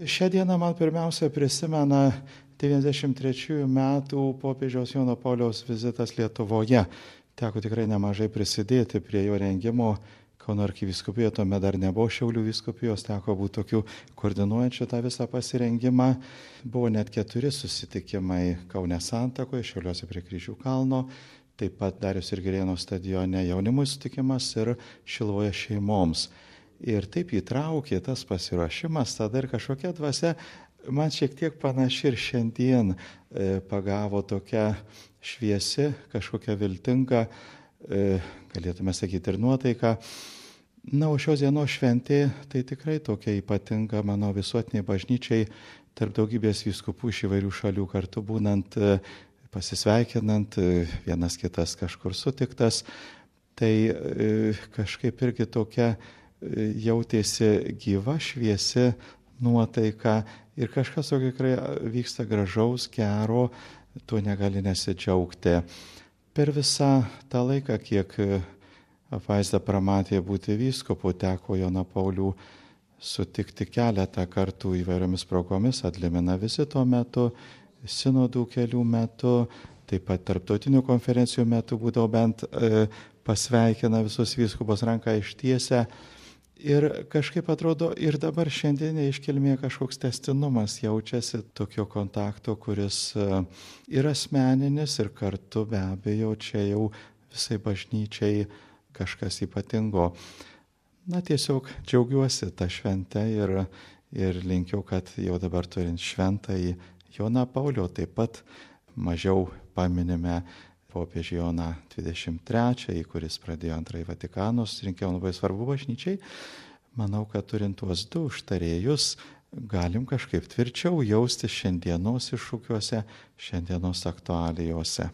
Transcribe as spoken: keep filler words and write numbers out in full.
Šią dieną man pirmiausia prisimena devyniasdešimt trečiųjų metų popiežiaus Jono Pauliaus vizitas Lietuvoje. Teko tikrai nemažai prisidėti prie jo rengimo. Kauno arkivyskupijoje tuomet dar nebuvo Šiaulių vyskupijos, teko būti tokių koordinuojančių tą visą pasirengimą. Buvo net keturi susitikimai Kaune Santakoje, Šiauliuose prie Kryžių kalno, taip pat Dariaus ir Girėno stadione jaunimui sutikimas ir Šilovoje šeimoms. Ir taip įtraukė tas pasiruošimas, tada ir kažkokia dvasia man šiek tiek panaši ir šiandien e, pagavo tokia šviesi, kažkokia viltinga, e, galėtume sakyti, ir nuotaika. Na, o šios dienos šventė tai tikrai tokia ypatinga mano visuotiniai bažnyčiai, tarp daugybės vyskupų iš įvairių šalių kartu būnant, e, pasisveikinant, e, vienas kitas kažkur sutiktas. Tai e, kažkaip irgi tokia e, jautėsi gyva, šviesi nuotaika ir kažkas tokio tikrai vyksta gražaus, gero, tuo negali nesidžiaugti. Per visą tą laiką, kiek apvaizda pramatė būti vyskupu, teko Joną Paulių sutikti keletą kartų įvairiomis progomis, atlimina vizito metu, sinodų kelių metu, taip pat tarptautinių konferencijų metu būdavo bent e, pasveikina visus vyskupus ranką ištiesę. Ir kažkaip atrodo ir dabar šiandienė iškilmė kažkoks tęstinumas jaučiasi tokio kontakto, kuris ir asmeninis, ir kartu be abejo čia jau visai bažnyčiai kažkas ypatingo. Na tiesiog džiaugiuosi tą šventę ir, ir linkiu, kad jau dabar turint šventąjį Joną Paulių, taip pat mažiau paminime popiežių Joną dvidešimt trečiąjį, kuris pradėjo antrąjį Vatikano susirinkimą, labai svarbu bažnyčiai. Manau, kad turint tuos du užtarėjus, galim kažkaip tvirčiau jausti šiandienos iššūkiuose, šiandienos aktualijose.